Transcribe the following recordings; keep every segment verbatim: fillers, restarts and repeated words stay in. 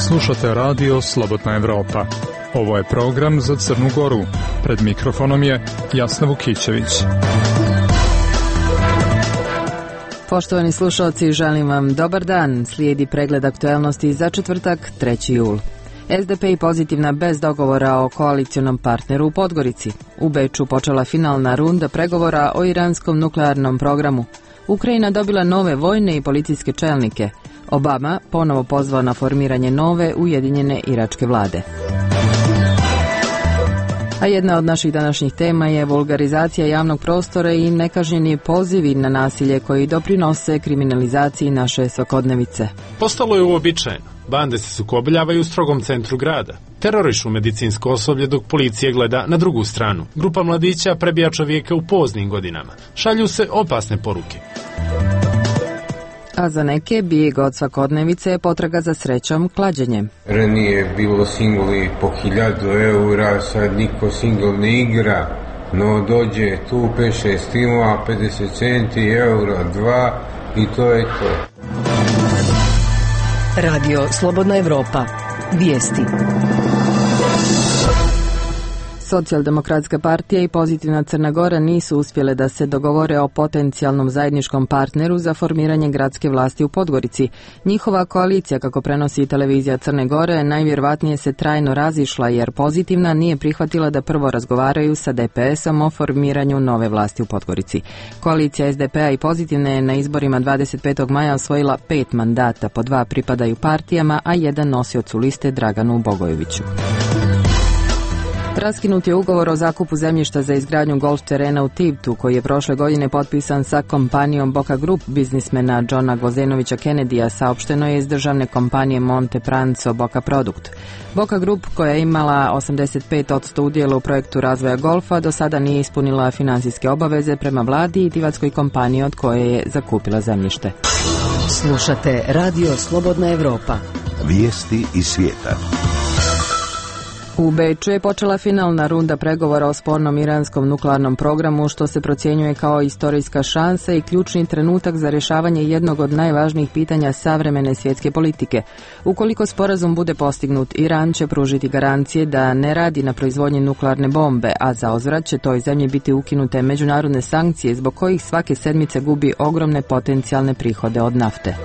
Slušate radio Slobodna Evropa. Ovo je program za Crnu Goru. Pred mikrofonom je Jasna Vukićević. Poštovani slušalci, želim vam dobar dan. Slijedi pregled aktuelnosti za četvrtak, treći jul. S D P i pozitivna bez dogovora o koalicionom partneru u Podgorici. U Beču počela finalna runda pregovora o iranskom nuklearnom programu. Ukrajina dobila nove vojne i policijske čelnike. Obama ponovo pozvao na formiranje nove ujedinjene iračke vlade. A jedna od naših današnjih tema je vulgarizacija javnog prostora i nekažnjeni pozivi na nasilje koji doprinose kriminalizaciji naše svakodnevice. Postalo je uobičajeno. Bande se sukobljavaju u strogom centru grada. Terorišu medicinsko osoblje dok policija gleda na drugu stranu. Grupa mladića prebija čovjeka u poznim godinama. Šalju se opasne poruke. A za neke bijeg od svakodnevice je potraga za srećom klađenjem. Ranije bilo singli po hiljadu eura, sad niko singl ne igra, no dođe tu pet šest timova, pedeset centi, euro, dva i to je to. Radio Slobodna Evropa. Vijesti. Socijaldemokratska partija i pozitivna Crna Gora nisu uspjele da se dogovore o potencijalnom zajedničkom partneru za formiranje gradske vlasti u Podgorici. Njihova koalicija, kako prenosi televizija Crne Gore, najvjerovatnije se trajno razišla jer pozitivna nije prihvatila da prvo razgovaraju sa D P S-om o formiranju nove vlasti u Podgorici. Koalicija S D P-a i pozitivne je na izborima dvadeset petog maja osvojila pet mandata, po dva pripadaju partijama, a jedan nosiocu liste Draganu Bogojeviću. Raskinut je ugovor o zakupu zemljišta za izgradnju golf terena u Tivtu, koji je prošle godine potpisan sa kompanijom Boka Group biznismena Johna Gvozenovića Kennedyja, saopšteno je iz državne kompanije Monte Pranzo Boka Produkt. Boka Group, koja je imala osamdeset pet posto udjela u projektu razvoja golfa, do sada nije ispunila financijske obaveze prema vladi i tivatskoj kompaniji od koje je zakupila zemljište. Slušate Radio Slobodna Evropa. Vijesti iz svijeta. U Beču je počela finalna runda pregovora o spornom iranskom nuklearnom programu, što se procjenjuje kao istorijska šansa i ključni trenutak za rješavanje jednog od najvažnijih pitanja savremene svjetske politike. Ukoliko sporazum bude postignut, Iran će pružiti garancije da ne radi na proizvodnji nuklearne bombe, a za uzvrat će toj zemlji biti ukinute međunarodne sankcije zbog kojih svake sedmice gubi ogromne potencijalne prihode od nafte.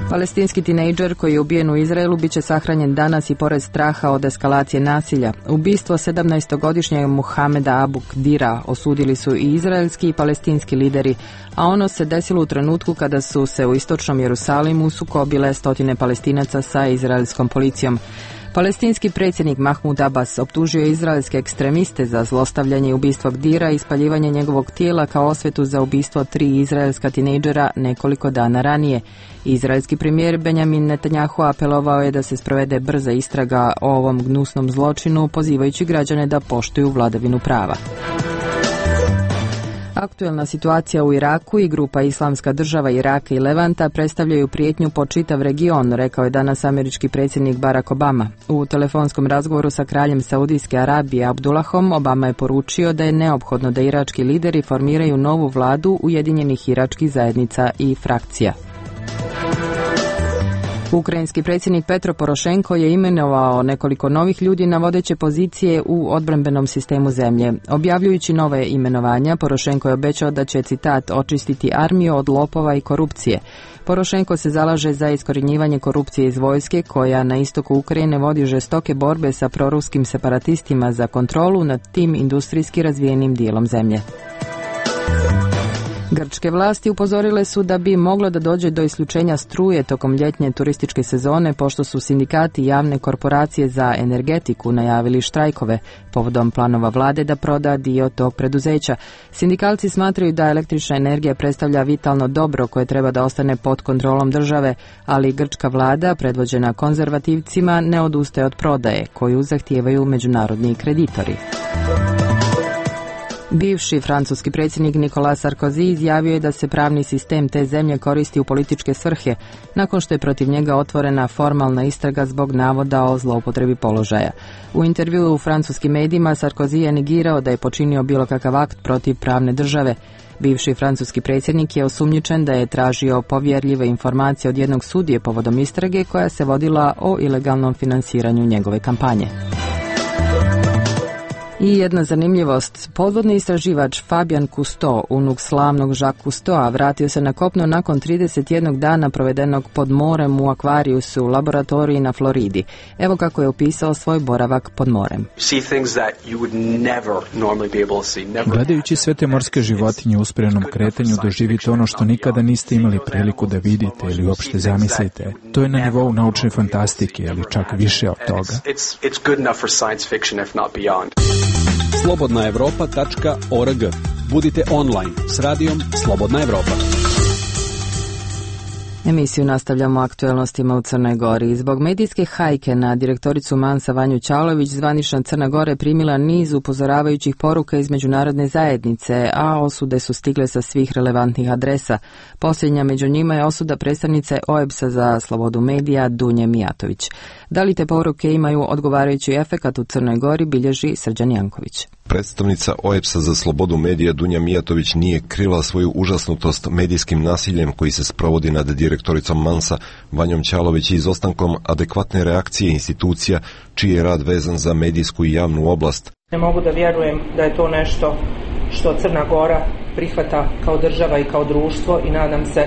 Palestinski tinejdžer koji je ubijen u Izraelu bit će sahranjen danas i pored straha od eskalacije nasilja. Ubistvo sedamnaestogodišnjeg Muhameda Abu Kdira osudili su i izraelski i palestinski lideri, a ono se desilo u trenutku kada su se u istočnom Jerusalimu sukobile stotine Palestinaca sa izraelskom policijom. Palestinski predsjednik Mahmud Abbas optužio je izraelske ekstremiste za zlostavljanje i ubistvo Kdira i spaljivanje njegovog tijela kao osvetu za ubistvo tri izraelska tinejdžera nekoliko dana ranije. Izraelski premijer Benjamin Netanjahu apelovao je da se sprovede brza istraga o ovom gnusnom zločinu, pozivajući građane da poštuju vladavinu prava. Aktuelna situacija u Iraku i grupa Islamska država Iraka i Levanta predstavljaju prijetnju po čitav region, rekao je danas američki predsjednik Barack Obama. U telefonskom razgovoru sa kraljem Saudijske Arabije Abdullahom, Obama je poručio da je neophodno da irački lideri formiraju novu vladu ujedinjenih iračkih zajednica i frakcija. Ukrajinski predsjednik Petro Porošenko je imenovao nekoliko novih ljudi na vodeće pozicije u odbrambenom sistemu zemlje. Objavljujući nove imenovanja, Porošenko je obećao da će, citat, očistiti armiju od lopova i korupcije. Porošenko se zalaže za iskorjenjivanje korupcije iz vojske, koja na istoku Ukrajine vodi žestoke borbe sa proruskim separatistima za kontrolu nad tim industrijski razvijenim dijelom zemlje. Grčke vlasti upozorile su da bi moglo da dođe do isključenja struje tokom ljetnje turističke sezone, pošto su sindikati i javne korporacije za energetiku najavili štrajkove povodom planova vlade da proda dio tog preduzeća. Sindikalci smatraju da električna energija predstavlja vitalno dobro koje treba da ostane pod kontrolom države, ali grčka vlada, predvođena konzervativcima, ne odustaje od prodaje, koju zahtijevaju međunarodni kreditori. Bivši francuski predsjednik Nicolas Sarkozy izjavio je da se pravni sistem te zemlje koristi u političke svrhe, nakon što je protiv njega otvorena formalna istraga zbog navoda o zloupotrebi položaja. U intervjuu u francuskim medijima Sarkozy je negirao da je počinio bilo kakav akt protiv pravne države. Bivši francuski predsjednik je osumnjičen da je tražio povjerljive informacije od jednog sudije povodom istrage koja se vodila o ilegalnom finansiranju njegove kampanje. I jedna zanimljivost, podvodni istraživač Fabien Cousteau, unuk slavnog Jacques Cousteaua, vratio se na kopno nakon trideset jednog dana provedenog pod morem u Aquariusu u laboratoriji na Floridi. Evo kako je opisao svoj boravak pod morem. Gledajući sve te morske životinje u usporenom kretanju, doživite ono što nikada niste imali priliku da vidite ili uopšte zamislite. To je na nivou naučne fantastike, ili čak više od toga. slobodna evropa tačka org. Budite online s radijom Slobodna Evropa. Emisiju nastavljamo aktuelnostima u Crnoj Gori. Zbog medijske hajke na direktoricu Mansa Vanju Ćalović, zvanična Crna Gora je primila niz upozoravajućih poruka iz međunarodne zajednice, a osude su stigle sa svih relevantnih adresa. Posljednja među njima je osuda predstavnice O E B S-a za slobodu medija Dunje Mijatović. Da li te poruke imaju odgovarajući efekat u Crnoj Gori, bilježi Srđan Janković. Predstavnica O E B S-a za slobodu medija Dunja Mijatović nije krila svoju užasnutost medijskim nasiljem koji se sprovodi nad direktoricom Mansa Vanjom Ćalović i izostankom adekvatne reakcije institucija čiji je rad vezan za medijsku i javnu oblast. Ne mogu da vjerujem da je to nešto što Crna Gora prihvata kao država i kao društvo i nadam se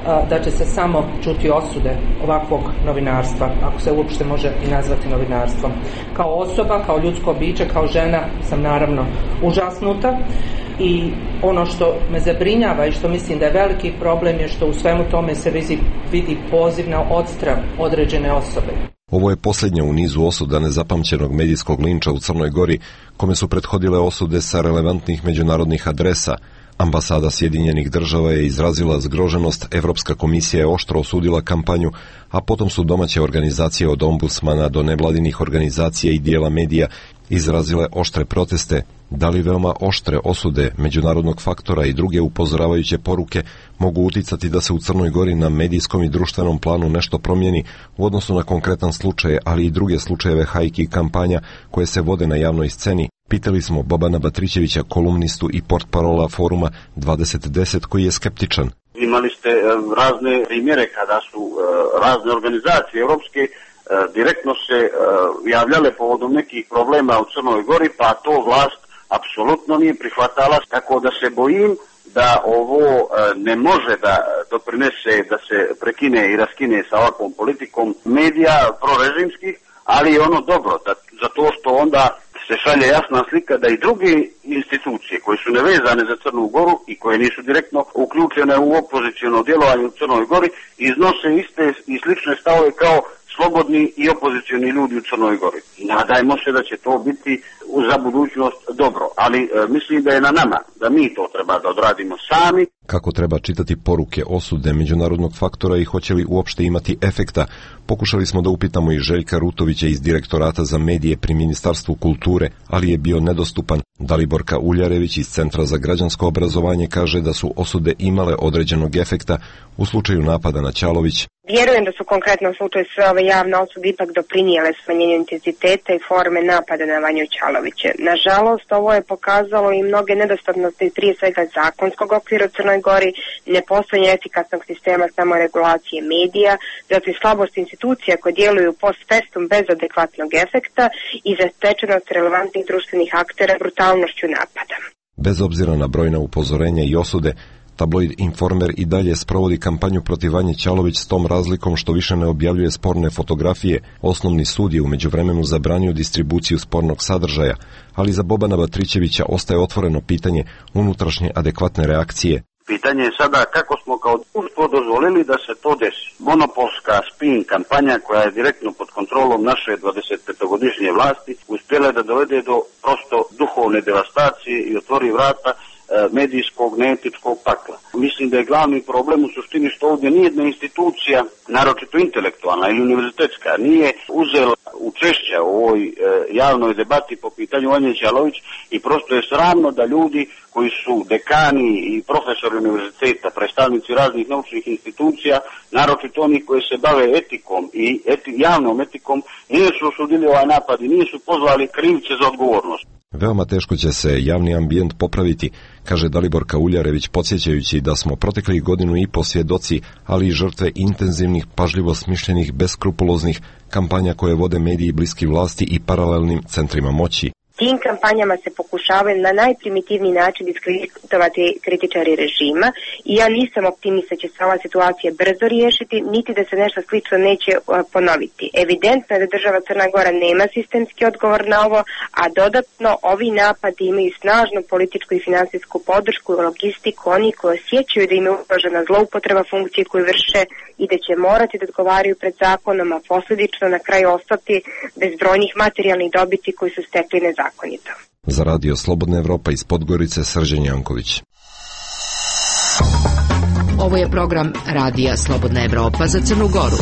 a, da će se samo čuti osude ovakvog novinarstva, ako se uopšte može i nazvati novinarstvom. Kao osoba, kao ljudsko biće, kao žena sam naravno užasnuta i ono što me zabrinjava i što mislim da je veliki problem je što u svemu tome se vidi, vidi poziv na odstrav određene osobe. Ovo je posljednja u nizu osuda nezapamćenog medijskog linča u Crnoj Gori, kome su prethodile osude sa relevantnih međunarodnih adresa. Ambasada Sjedinjenih država je izrazila zgroženost, Evropska komisija je oštro osudila kampanju, a potom su domaće organizacije od ombudsmana do nevladinih organizacija i dijela medija izrazile oštre proteste. Da li veoma oštre osude međunarodnog faktora i druge upozoravajuće poruke mogu uticati da se u Crnoj Gori na medijskom i društvenom planu nešto promijeni u odnosu na konkretan slučaj, ali i druge slučajeve hajki i kampanja koje se vode na javnoj sceni? Pitali smo Bobana Batrićevića, kolumnistu i portparola foruma dvadeset deset, koji je skeptičan. Imali ste razne primjere kada su razne organizacije europske direktno se javljale povodom nekih problema u Crnoj Gori, pa to vlast apsolutno nije prihvatala, tako da se bojim da ovo ne može da doprinese da se prekine i raskine sa ovakvom politikom medija prorežimskih, ali je ono dobro, da, zato što onda se šalje jasna slika da i druge institucije koje su nevezane za Crnu Goru i koje nisu direktno uključene u opoziciono djelovanje u Crnoj Gori iznose iste i slične stavove kao slobodni i opozicioni ljudi u Crnoj Gori. I nadajmo se da će to biti za budućnost dobro, ali e, mislim da je na nama, da mi to treba da odradimo sami. Kako treba čitati poruke osude međunarodnog faktora i hoće li uopšte imati efekta, pokušali smo da upitamo i Željka Rutovića iz Direktorata za medije pri Ministarstvu kulture, ali je bio nedostupan. Daliborka Uljarević iz Centra za građansko obrazovanje kaže da su osude imale određenog efekta u slučaju napada na Ćalović. Vjerujem da su konkretno u slučaju sve ove javne osude ipak doprinijele smanjenju intenziteta i forme napada na Vanju Ćalovića. Nažalost, ovo je pokazalo i mnoge nedostatnosti, prije svega zakonskog okvira u Crnoj Gori, nepostojanje efikasnog sistema samoregulacije medija, zatim slabost institucija koje djeluju post festum bez adekvatnog efekta i zatečenost relevantnih društvenih aktera brutalnošću napada. Bez obzira na brojna upozorenja i osude, tabloid Informer i dalje sprovodi kampanju protiv Vanje Ćalović s tom razlikom što više ne objavljuje sporne fotografije. Osnovni sud je u međuvremenu zabranio distribuciju spornog sadržaja, ali za Bobana Batrićevića ostaje otvoreno pitanje unutrašnje adekvatne reakcije. Pitanje je sada kako smo kao društvo dozvolili da se to desi. Monopolska spin kampanja koja je direktno pod kontrolom naše dvadesetpetogodišnje vlasti uspjela da dovede do prosto duhovne devastacije i otvori vrata medijskog, neetičkog pakla. Mislim da je glavni problem u suštini što ovdje nijedna institucija, naročito intelektualna ili univerzitetska, nije uzela učešća u ovoj e, javnoj debati po pitanju Vanje Ćalović i prosto je sramno da ljudi koji su dekani i profesori univerziteta, predstavnici raznih naučnih institucija, naročito oni koji se bave etikom i eti, javnom etikom, nisu osudili ovaj napad i nisu pozvali krivce za odgovornost. Veoma teško će se javni ambijent popraviti, kaže Dalibor Kauljarević, podsjećajući da smo proteklih godinu i po svjedoci, ali i žrtve intenzivnih, pažljivo smišljenih, beskrupuloznih kampanja koje vode mediji bliski vlasti i paralelnim centrima moći. Tim kampanjama se pokušavaju na najprimitivniji način diskreditovati kritičari režima i ja nisam optimista će se ova situacija brzo riješiti, niti da se nešto slično neće ponoviti. Evidentno je da država Crna Gora nema sistemski odgovor na ovo, a dodatno ovi napadi imaju snažnu političku i finansijsku podršku i logistiku, oni koji osjećaju da im je ugrožena zloupotreba funkcije koju vrše i da će morati da odgovaraju pred zakonom, a posljedično na kraju ostati bez brojnih materijalnih dobiti koji su stekli nezakonito. Za radio Slobodna Evropa iz Podgorice, Srđan Janković. Ovo je program Radija Slobodna Evropa za Crnu Goru.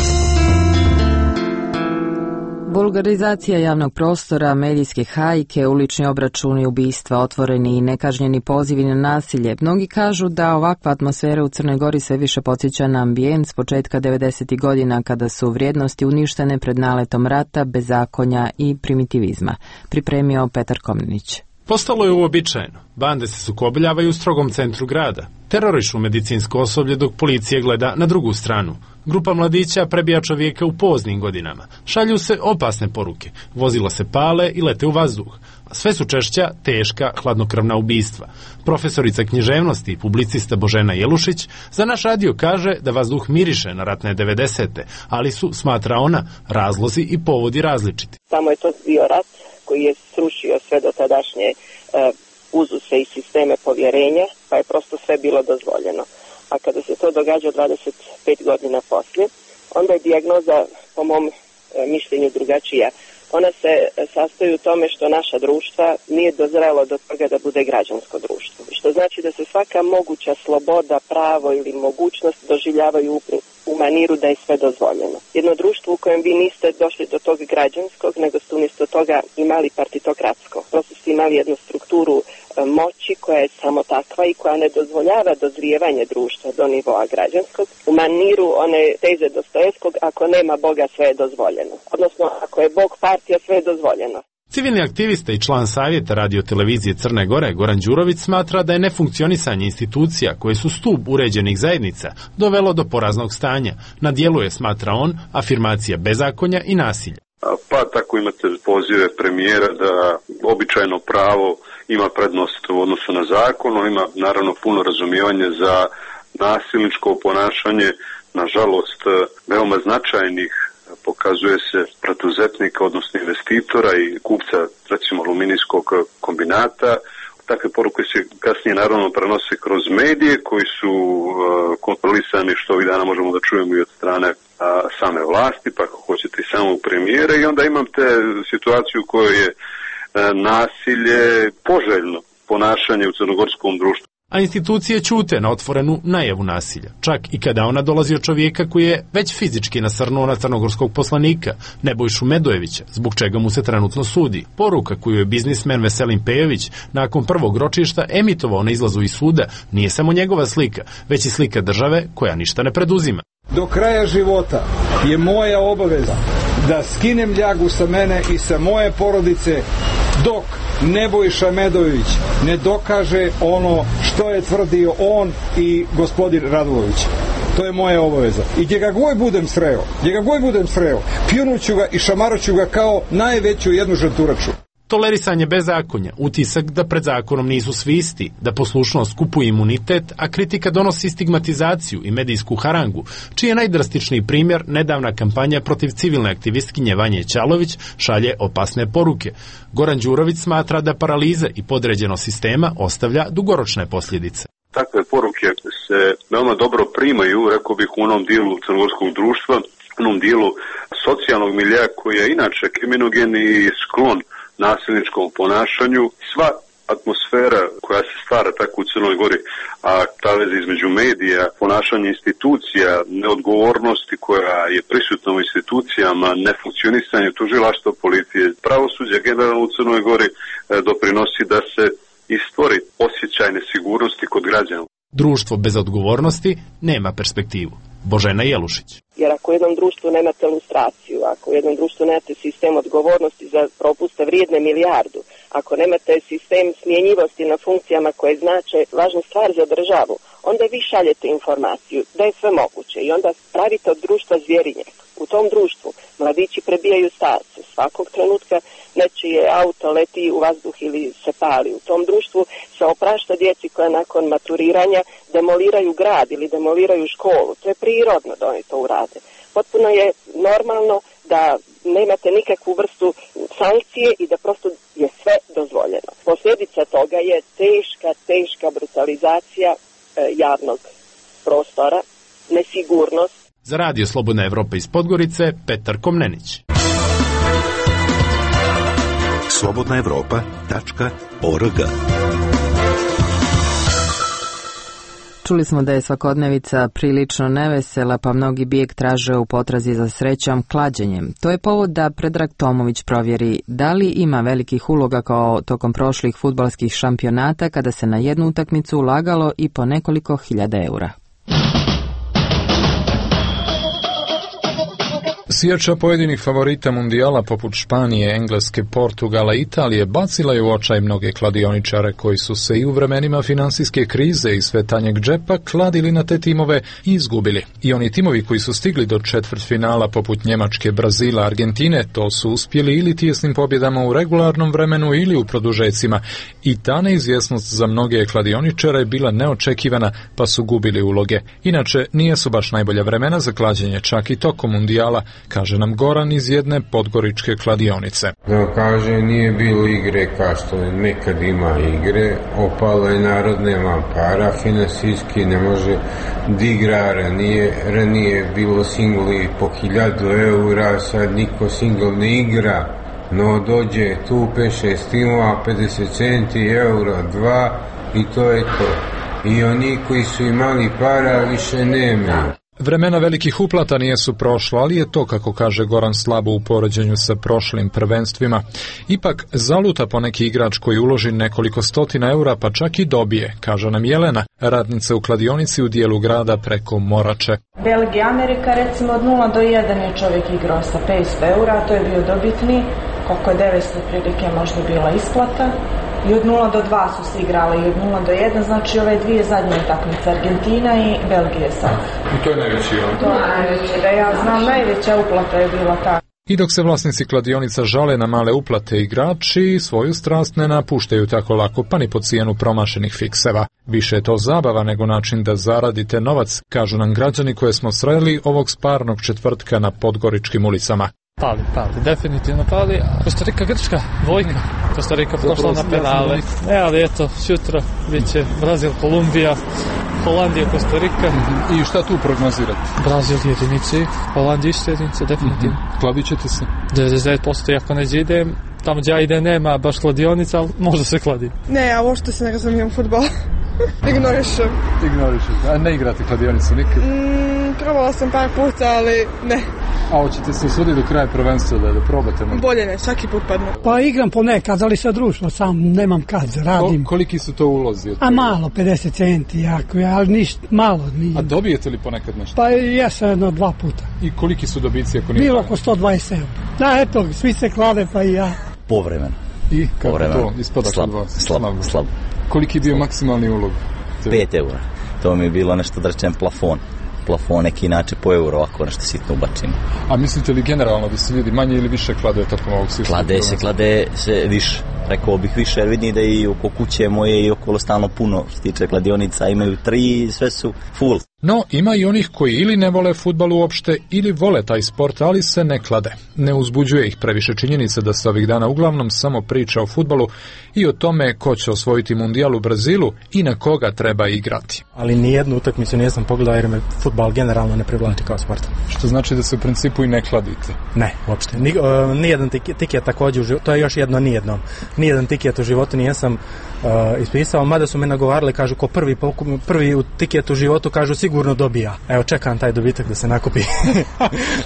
Vulgarizacija javnog prostora, medijske hajke, ulični obračuni, ubistva, otvoreni i nekažnjeni pozivi na nasilje. Mnogi kažu da ovakva atmosfera u Crnoj Gori sve više podsjeća na ambijent s početka devedesetih godina kada su vrijednosti uništene pred naletom rata, bezakonja i primitivizma. Pripremio Petar Komnenić. Postalo je uobičajeno. Bande se sukobljavaju u strogom centru grada. Terorišu medicinsko osoblje dok policija gleda na drugu stranu. Grupa mladića prebija čovjeka u poznim godinama. Šalju se opasne poruke. Vozila se pale i lete u vazduh. Sve su češća teška, hladnokrvna ubistva. Profesorica književnosti i publicista Božena Jelušić za naš radio kaže da vazduh miriše na ratne devedesete, ali su, smatra ona, razlozi i povodi različiti. Samo je to bio rat koji je srušio sve do tadašnje uh, uzuse i sisteme povjerenja, pa je prosto sve bilo dozvoljeno. A kada se to događa dvadeset pet godina poslije, onda je dijagnoza, po mom uh, mišljenju, drugačija. Ona se sastoji u tome što naša društva nije dozrelo do toga da bude građansko društvo. Što znači da se svaka moguća sloboda, pravo ili mogućnost doživljavaju u maniru da je sve dozvoljeno. Jedno društvo u kojem vi niste došli do tog građanskog, nego ste umjesto toga imali partitokratsko. Prosto ste imali jednu strukturu moći koja je samo takva i koja ne dozvoljava dozrijevanje društva do nivoa građanskog. U maniru one teze Dostojevskog, ako nema Boga sve je dozvoljeno. Odnosno, ako je Bog partija, sve je dozvoljeno. Civilni aktivista i član savjeta radiotelevizije Crne Gore Goran Đurović smatra da je nefunkcionisanje institucija koje su stup uređenih zajednica dovelo do poraznog stanja. Na dijelu je, smatra on, afirmacija bezakonja i nasilja. Pa tako imate pozive premijera da običajno pravo ima prednost u odnosu na zakon, on ima naravno puno razumijevanje za nasilničko ponašanje, nažalost veoma značajnih, pokazuje se, preduzetnika, odnosno investitora i kupca, recimo, aluminijskog kombinata. Takve poruke se kasnije naravno prenose kroz medije koji su uh, kontrolisani, što ovih dana možemo da čujemo i od strane uh, same vlasti, pa ako hoćete i samog premijera, i onda imate situaciju u kojoj je uh, nasilje poželjno ponašanje u crnogorskom društvu. A institucije ćute na otvorenu najavu nasilja, čak i kada ona dolazi od čovjeka koji je već fizički nasrnuo na crnogorskog poslanika, Nebojšu Medojevića, zbog čega mu se trenutno sudi. Poruka koju je biznismen Veselin Pejović nakon prvog ročišta emitovao na izlazu iz suda nije samo njegova slika, već i slika države koja ništa ne preduzima. Do kraja života je moja obaveza da skinem ljagu sa mene i sa moje porodice dok Nebojša Medojević ne dokaže ono što je tvrdio on i gospodin Radulović. To je moja obaveza. I gdje ga god budem sreo, gdje ga god budem sreo, pljunuću ga i šamaroću ga kao najveću jednu žrturaču. Tolerisanje bezakonja, utisak da pred zakonom nisu svi isti, da poslušnost kupuje imunitet, a kritika donosi stigmatizaciju i medijsku harangu, čiji je najdrastičniji primjer nedavna kampanja protiv civilne aktivistkinje Vanje Ćalović šalje opasne poruke. Goran Đurović smatra da paraliza i podređenost sistema ostavlja dugoročne posljedice. Takve poruke se veoma dobro primaju, rekao bih, u onom dijelu crnogorskog društva, u onom dijelu socijalnog milija koji je inače kriminogen i sklon nasilničkom ponašanju. Sva atmosfera koja se stvara tako u Crnoj Gori, a ta veza između medija, ponašanja institucija, neodgovornosti koja je prisutna u institucijama, nefunkcionisanje tužilaštva, policije, pravosuđa generalno u Crnoj Gori doprinosi da se i stvori osjećaj nesigurnosti kod građana. Društvo bez odgovornosti nema perspektivu. Božena Jelušić. Jer ako u jednom društvu nemate lustraciju, ako u jednom društvu nemate sistem odgovornosti za propuste vrijedne milijardu, ako nemate sistem smjenjivosti na funkcijama koje znače važnu stvar za državu, onda vi šaljete informaciju da je sve moguće i onda pravite od društva zvjerinjak. U tom društvu mladići prebijaju starce, svakog trenutka nečije auto leti u vazduh ili se pali. U tom društvu se oprašta djeci koja nakon maturiranja demoliraju grad ili demoliraju školu. To je prirodno da oni to urade. Potpuno je normalno da nemate nikakvu vrstu sankcije i da prosto je sve dozvoljeno. Posljedica toga je teška, teška brutalizacija e, javnog prostora, nesigurnost. Za Radio Slobodna Evropa iz Podgorice, Petar Komnenić. slobodna evropa tačka org. Čuli smo da je svakodnevica prilično nevesela, pa mnogi bijeg traže u potrazi za srećom klađenjem. To je povod da Predrag Tomović provjeri da li ima velikih uloga kao tokom prošlih fudbalskih šampionata kada se na jednu utakmicu ulagalo i po nekoliko hiljada eura. Sjeća pojedinih favorita mundijala poput Španije, Engleske, Portugala i Italije bacila je u očaj mnoge kladioničare koji su se i u vremenima finansijske krize i sve tanjeg džepa kladili na te timove i izgubili. I oni timovi koji su stigli do četvrtfinala poput Njemačke, Brazila, Argentine, to su uspjeli ili tijesnim pobjedama u regularnom vremenu ili u produžecima. I ta neizvjesnost za mnoge kladioničare je bila neočekivana, pa su gubili uloge. Inače, nije su baš najbolja vremena za klađenje, čak i tokom mundijala, kaže nam Goran iz jedne podgoričke kladionice. Da kaže, nije bilo igre kao što nekad ima igre, opalo je narod, nema para, finansijski ne može da igra, ranije, ranije bilo singli po hiljadu eura, sad niko singl ne igra, no dođe tu pet šest timova, pedeset centi, euro, dva i to je to. I oni koji su imali para više nemaju. Vremena velikih uplata nijesu prošlo, ali je to, kako kaže Goran, slabo u poređenju sa prošlim prvenstvima. Ipak zaluta poneki igrač koji uloži nekoliko stotina eura, pa čak i dobije, kaže nam Jelena, radnica u kladionici u dijelu grada preko Morače. Belgija, Amerika, recimo od nula do jedan je čovjek igrao sa petsto eura, to je bio dobitni, koliko je devetsto prilike možda bila isplata. I od nula do dva su se igrali i od nula do jedan, znači ove dvije zadnje utakmice, Argentina i Belgije sad. I to je najveći, on? To je najveći, da ja znam, najveća uplata je bila ta. I dok se vlasnici kladionica žale na male uplate, igrači svoju strast ne napuštaju tako lako, pa ni po cijenu promašenih fikseva. Više je to zabava nego način da zaradite novac, kažu nam građani koje smo sreli ovog sparnog četvrtka na podgoričkim ulicama. Pali, pali, definitivno pali. Kostarika, Grčka, dvojka. Kostarika prošla na penale. Ne, ali eto, sutra bit će Brazil, Kolumbija, Holandija, Kostarika. I šta tu prognozirate? Brazil jedinici, Holandija isto jedinice, definitivno. Mm-hmm. Kladit ćete se? devedeset devet posto ako neđe idem. Tamo gdje ja idem nema baš kladionica, ali možda se kladi. Ne, ja uopšte se ne razumijem futbol. Ignorišem. Ignorišem. A ne igrate kladionicu nikad? Mm, probala sam par puta, ali ne. A hoćete se usuditi do kraja prvenstva da, da probate? Možda? Bolje ne, svaki put padne. Pa igram ponekad, ali sa društvo, sam nemam kad, radim. Ko, koliki su to ulozi? A malo, pedeset centi, jako, ali ništa, malo. Nije. A dobijete li ponekad nešto? Pa jesam jedno dva puta. I koliki su dobici ako nije? Bilo oko sto dvadeset eura. Da, eto, svi se klade, pa i ja. Povremeno. I kako Povremeno. to ispada slab, kod vas? Slab, slab, slab. Koliki je bio maksimalni ulog? pet eura. To mi je bilo nešto da rečem plafon. Plafon neki inače po euro, ako nešto sitno ubacimo. A mislite li generalno da se ljudi manje ili više klade tokom ovog sistema? Klade se, klade se više. Rekao bih više, jer vidim da i oko kuće moje i okolo stalno puno što se tiče kladionica, imaju tri i sve su full. No, ima i onih koji ili ne vole fudbal uopšte, ili vole taj sport, ali se ne klade. Ne uzbuđuje ih previše činjenica da se ovih dana uglavnom samo priča o fudbalu i o tome ko će osvojiti mundijal u Brazilu i na koga treba igrati. Ali nijednu utakmicu nisam pogledao jer me fudbal generalno ne privlači kao sport. Što znači da se u principu i ne kladite? Ne, uopšte. Ni, uh, nijedan tiket također u životu, to je još jedno nijedno. Nijedan tiket u životu nisam uh, ispisao, mada su me nagovarali, kažu ko prvi, prvi u tiket u životu, kažu sigurno dobija. Evo, čekam taj dobitak da se nakupi.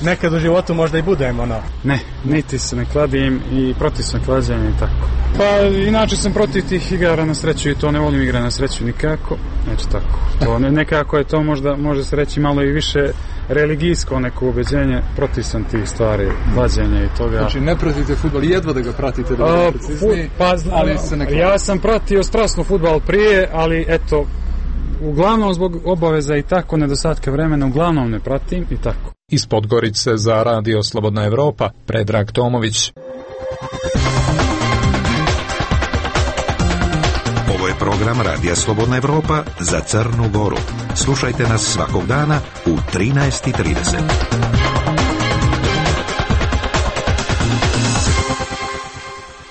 Nekad u životu možda i budem, ono. Ne, niti se ne kladim i protiv sam klađenja i tako. Pa, inače sam protiv tih igara na sreću i to ne volim igre na sreću nikako. Eto tako. To ne, nekako je to možda, može se reći malo i više religijsko neko ubeđenje, protiv sam tih stvari, klađenja i toga. Znači, ne pratite fudbal, jedva da ga pratite, da ga precizniji, pa, ali se ne kladite. Ja sam pratio strasno fudbal prije, ali eto, uglavnom zbog obaveza i tako, nedostatka vremena, uglavnom ne pratim i tako. Iz Podgorice za Radio Slobodna Evropa, Predrag Tomović. Ovo je program Radija Slobodna Evropa za Crnu Goru. Slušajte nas svakog dana u trinaest i trideset.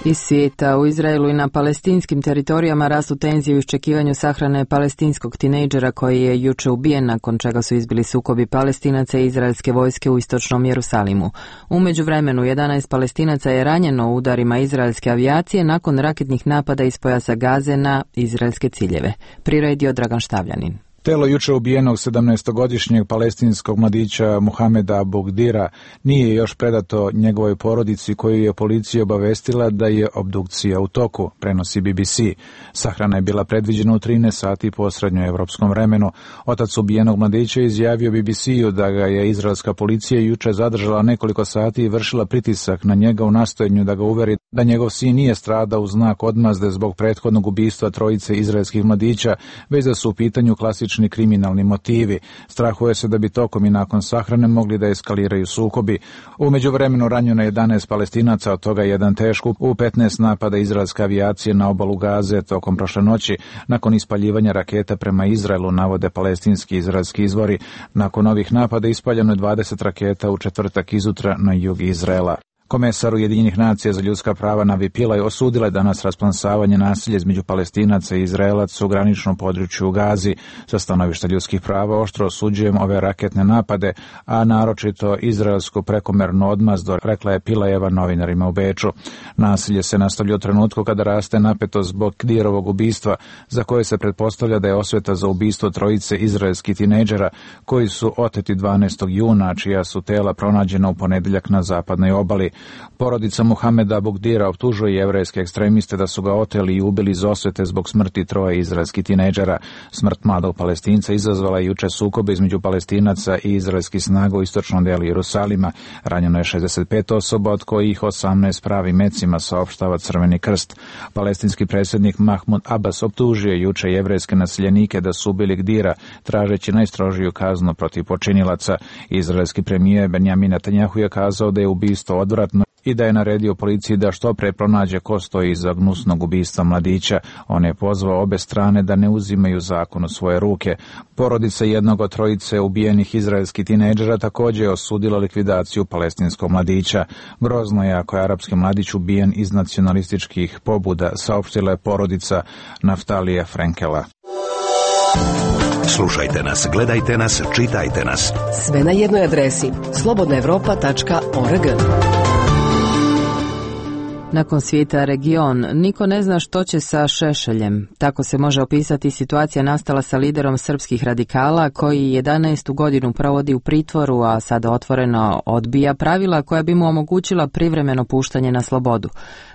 Iz svijeta, u Izraelu i na palestinskim teritorijama rastu tenzije u iščekivanju sahrane palestinskog tinejdžera koji je juče ubijen, nakon čega su izbili sukobi Palestinaca i izraelske vojske u istočnom Jerusalimu. U međuvremenu jedanaest Palestinaca je ranjeno u udarima izraelske avijacije nakon raketnih napada iz pojasa Gaze na izraelske ciljeve. Priredio Dragan Štavljanin. Telo juče ubijenog sedamnaestogodišnjeg palestinskog mladića Muhameda Abu Dira nije još predato njegovoj porodici, koju je policija obavestila da je obdukcija u toku, prenosi B B C. Sahrana je bila predviđena u trinaest sati po srednjoevropskom vremenu. Otac ubijenog mladića izjavio B B C-u da ga je izraelska policija juče zadržala nekoliko sati i vršila pritisak na njega u nastojanju da ga uveri da njegov sin nije stradao u znak odmazde zbog prethodnog ubistva trojice izraelskih mladića, već da su u pitanju klasični kriminalni motivi. Strahuje se da bi tokom i nakon sahrane mogli da eskaliraju sukobi. U međuvremenu ranjeno je jedanaest Palestinaca, od toga jedan teško, u petnaest napada izraelske avijacije na obalu Gaze tokom prošle noći, nakon ispaljivanja raketa prema Izraelu, navode palestinski izraelski izvori. Nakon ovih napada ispaljeno je dvadeset raketa u četvrtak izutra na jug Izraela. Komesar Ujedinjenih nacija za ljudska prava Navi Pillay osudila je danas rasplansavanje nasilja između Palestinaca i Izraelaca u graničnom području u Gazi. Sa stanovišta ljudskih prava oštro osuđujem ove raketne napade, a naročito izraelsku prekomernu odmazdu, rekla je Pillayeva novinarima u Beču. Nasilje se nastavlja u trenutku kada raste napetost zbog Dirovog ubistva, za koje se pretpostavlja da je osveta za ubistvo trojice izraelskih tinejdžera koji su oteti dvanaestog juna, čija su tela pronađena u ponedeljak na zapadnoj obali. Porodica Muhameda Abu Dira optužuje jevrejske ekstremiste da su ga oteli i ubili iz osvete zbog smrti troje izraelskih tinejdžera. Smrt mladog Palestinca izazvala je juče sukobe između Palestinaca i izraelskih snaga u istočnom delu Jerusalima. Ranjeno je šezdeset pet osoba, od kojih osamnaest pravi mecima, saopštava Crveni krst. Palestinski predsjednik Mahmud Abbas optužio juče jevrejske naseljenike da su ubili Gdira, tražeći najstrožiju kaznu protiv počinilaca. Izraelski premijer Benjamin Netanjahu je kazao da je ubistvo odvratno i da je naredio policiji da što pre pronađe ko stoji iza gnusnog ubistva mladića. On je pozvao obe strane da ne uzimaju zakon u svoje ruke. Porodica jednog od trojice ubijenih izraelskih tinejdžera također je osudila likvidaciju palestinskog mladića. Grozno je ako je arapski mladić ubijen iz nacionalističkih pobuda, saopštila je porodica Naftalija Frenkela. Slušajte nas, gledajte nas, čitajte nas. Sve na jednoj adresi slobodna evropa tačka org. Nakon svijeta region, niko ne zna što će sa Šešeljem. Tako se može opisati situacija nastala sa liderom srpskih radikala koji jedanaestu godinu provodi u pritvoru, a sada otvoreno odbija pravila koja bi mu omogućila privremeno puštanje na slobodu.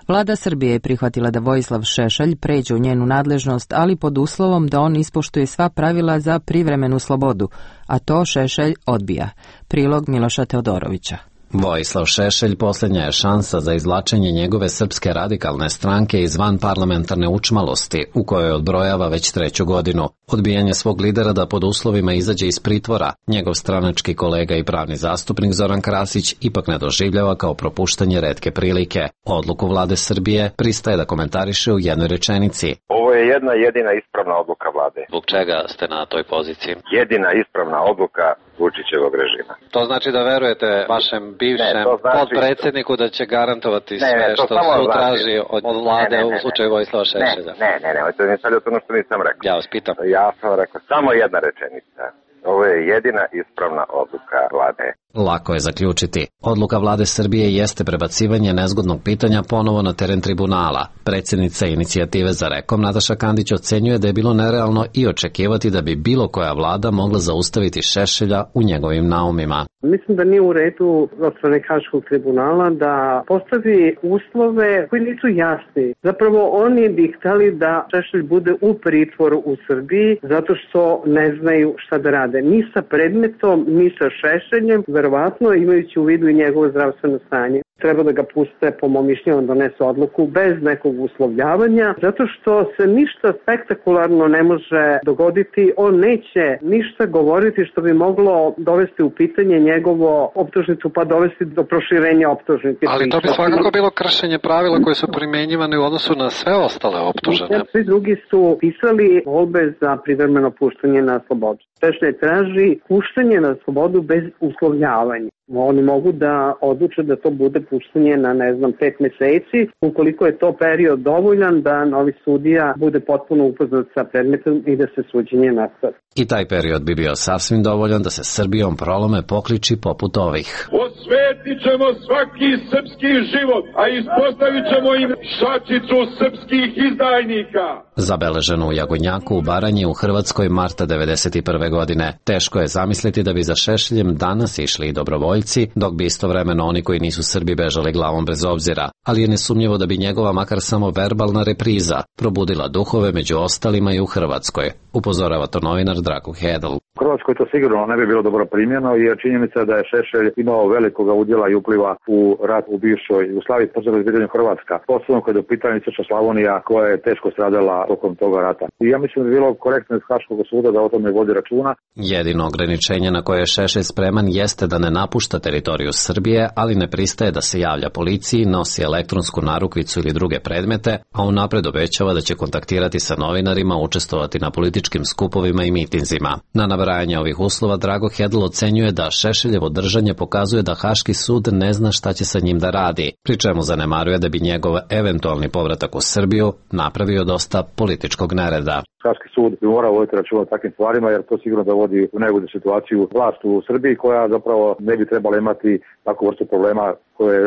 Vlada Srbije je prihvatila da Vojislav Šešelj pređe u njenu nadležnost, ali pod uslovom da on ispoštuje sva pravila za privremenu slobodu, a to Šešelj odbija. Prilog Miloša Teodorovića. Vojislav Šešelj posljednja je šansa za izvlačenje njegove Srpske radikalne stranke iz vanparlamentarne učmalosti, u kojoj odbrojava već treću godinu. Odbijanje svog lidera da pod uslovima izađe iz pritvora, njegov stranački kolega i pravni zastupnik Zoran Krasić ipak ne doživljava kao propuštanje retke prilike. Odluku vlade Srbije pristaje da komentariše u jednoj rečenici. Ovo je jedna jedina ispravna odluka vlade. Zbog čega ste na toj poziciji? Jedina ispravna odluka Vučićevog režima. To znači da verujete vašem bivšem ne, znači... podpredsjedniku da će garantovati ne, sve ne, što sud znači... traži od vlade ne, ne, ne, u slučaju Vojislava Šešelja? Ne, ne, ne, ne, ne, ne, ono što nisam rekao. Ja vas pitam. Ja sam rekao samo jedna rečenica. Ovo je jedina ispravna odluka vlade. Lako je zaključiti. Odluka vlade Srbije jeste prebacivanje nezgodnog pitanja ponovo na teren tribunala. Predsjednica inicijative za Rekom Nataša Kandić ocenjuje da je bilo nerealno i očekivati da bi bilo koja vlada mogla zaustaviti Šešelja u njegovim naumima. Mislim da nije u redu od strane Haškog tribunala da postavi uslove koji nisu jasni. Zapravo oni bi hteli da Šešelj bude u pritvoru u Srbiji zato što ne znaju šta da rade. Ni sa predmetom, ni sa Šešeljem, verovatno imajući u vidu i njegovo zdravstveno stanje. Treba da ga puste, po mom mišljenju, donese odluku bez nekog uslovljavanja, zato što se ništa spektakularno ne može dogoditi. On neće ništa govoriti što bi moglo dovesti u pitanje njegovo optužnicu, pa dovesti do proširenja optužnice. Ali to bi svakako bilo kršenje pravila koje su primjenjivane u odnosu na sve ostale optužene. Svi drugi su pisali molbe za privremeno puštanje na slobodu. Šešelj traži puštanje na slobodu bez uslovljavanja. Oni mogu da odluče da to bude puštanje na, ne znam, pet meseci, ukoliko je to period dovoljan da novi sudija bude potpuno upoznat sa predmetom i da se suđenje nastavi. I taj period bi bio sasvim dovoljan da se Srbijom prolome pokliči poput ovih. Osvetit ćemo svaki srpski život, a ispostavit ćemo im šačicu srpskih izdajnika. Zabeleženo u Jagodnjaku u Baranji u Hrvatskoj marta devedeset prve godine. Teško je zamisliti da bi za Šešeljem danas išli i dobrovoljci, dok bi istovremeno oni koji nisu Srbi bežali glavom bez obzira, ali je nesumnjivo da bi njegova makar samo verbalna repriza probudila duhove među ostalima i u Hrvatskoj, upozorava to novinar Drago Hedl. U Hrvatskoj to sigurno ne bi bilo dobro primljeno, jer činjenica da je Šešelj imao velikoga udjela i upliva u rat u bivšoj Jugoslaviji, posebno u pitanju Hrvatska, posebno kada je u pitanju Istočna Slavonija koja je teško stradala tokom toga rata. I ja mislim da bi bilo korektno iz Haškog suda da o tome vodi računa. Jedino ograničenje na koje je Šešelj spreman jeste da ne napušta teritoriju Srbije, ali ne pristaje da se javlja policiji, nosi elektronsku narukvicu ili druge predmete, a unapred obećava da će kontaktirati sa novinarima, učestvovati na političkim skupovima i mitinzima. Na nabrajanje ovih uslova Drago Hedl ocenjuje da Šešeljevo držanje pokazuje da Haški sud ne zna šta će sa njim da radi, pri čemu zanemaruje da bi njegov eventualni povratak u Srbiju napravio dosta političkog nereda. Haški sud bi morao voditi računa o takvim stvarima, jer to sigurno dovodi u neugodnu situaciju vlast u Srbiji, koja zapravo ne bi trebala imati takvu vrstu problema koje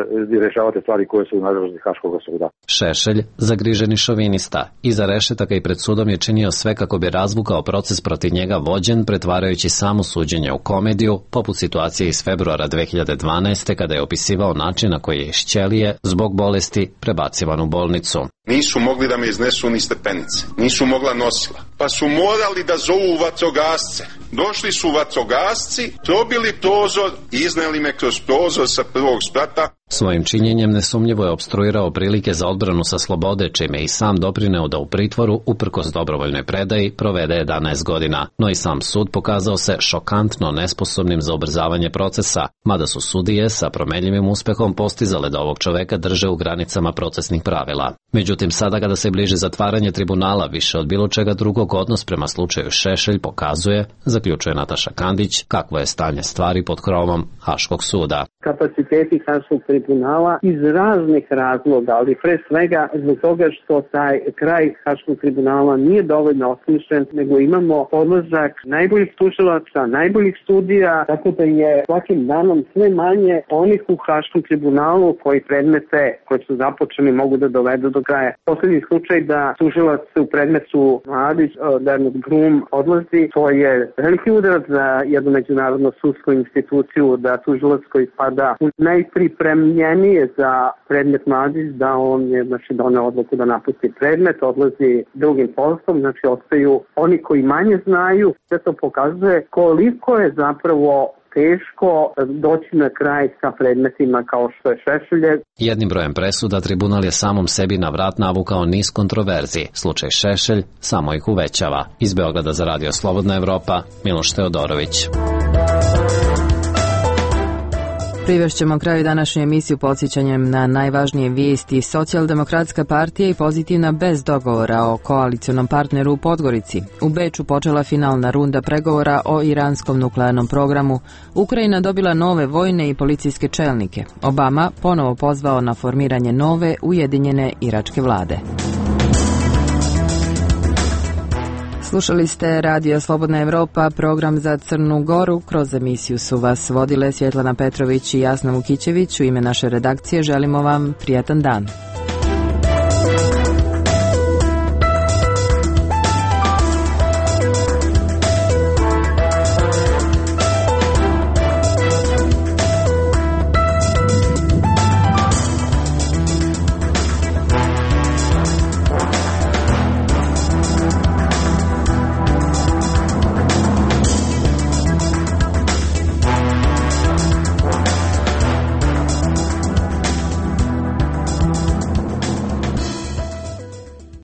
rješavate stvari koje su u nadležnosti Haškog suda. Šešelj, zagriženi šovinista, iza rešetaka i pred sudom je činio sve kako bi razvukao proces protiv njega vođen, pretvarajući samo suđenje u komediju, poput situacije iz februara dve hiljade dvanaeste. kada je opisivao način na koji je iz ćelije, zbog bolesti, prebacivan u bolnicu. Nisu mogli da me iznesu ni stepenice, nisu mogla nosila, pa su morali da zovu vatrogasce. Došli su vatrogasci, probili prozor i izneli me kroz prozor sa prvog sprata. Svojim činjenjem nesumnjivo je opstruirao prilike za odbranu sa slobode, čime i sam doprineo da u pritvoru, uprkos dobrovoljnoj predaji, provede jedanaest godina. No i sam sud pokazao se šokantno nesposobnim za ubrzavanje procesa, mada su sudije sa promenljivim uspehom postizale da ovog čoveka drže u granicama procesnih pravila. Međutim, sada kada se bliži zatvaranje tribunala, više od bilo čega drugog odnos prema slučaju Šešelj pokazuje, zaključuje Nataša Kandić, kakvo je stanje stvari pod krovom Haškog suda. Kapaciteti Haškog tribunala iz raznih razloga, ali pre svega zbog toga što taj kraj Haškog tribunala nije dovoljno osmišljen, nego imamo odlazak najboljih tužilaca, najboljih sudija, tako da je svakim danom sve manje onih u Haškom tribunalu koji predmete koji su započeni mogu da dovedu do kraja. Poslednji slučaj da tužilac u predmetu Mladić, Bernard Brum, odlazi, to je veliki udarac za jednu međunarodnu sudsku instituciju, da tužilac koji spada u najpripremljenije za predmet Mladić, da on je znači, doneo odluku da napusti predmet, odlazi drugim poslom, znači ostaju oni koji manje znaju. Sve to pokazuje koliko je zapravo teško doći na kraj sa predmetima kao što je Šešeljev. Jednim brojem presuda tribunal je samom sebi na vrat navukao niz kontroverzi. Slučaj Šešelj samo ih uvećava. Iz Beograda za Radio Slobodna Evropa, Miloš Teodorović. Privešćemo kraju današnju emisiju podsjećanjem na najvažnije vijesti. Socijaldemokratska partija i Pozitivna bez dogovora o koalicionom partneru u Podgorici. U Beču počela finalna runda pregovora o iranskom nuklearnom programu. Ukrajina dobila nove vojne i policijske čelnike. Obama ponovo pozvao na formiranje nove ujedinjene iračke vlade. Slušali ste Radio Slobodna Evropa, program za Crnu Goru. Kroz emisiju su vas vodile Svjetlana Petrović i Jasna Vukićević. U ime naše redakcije želimo vam prijatan dan.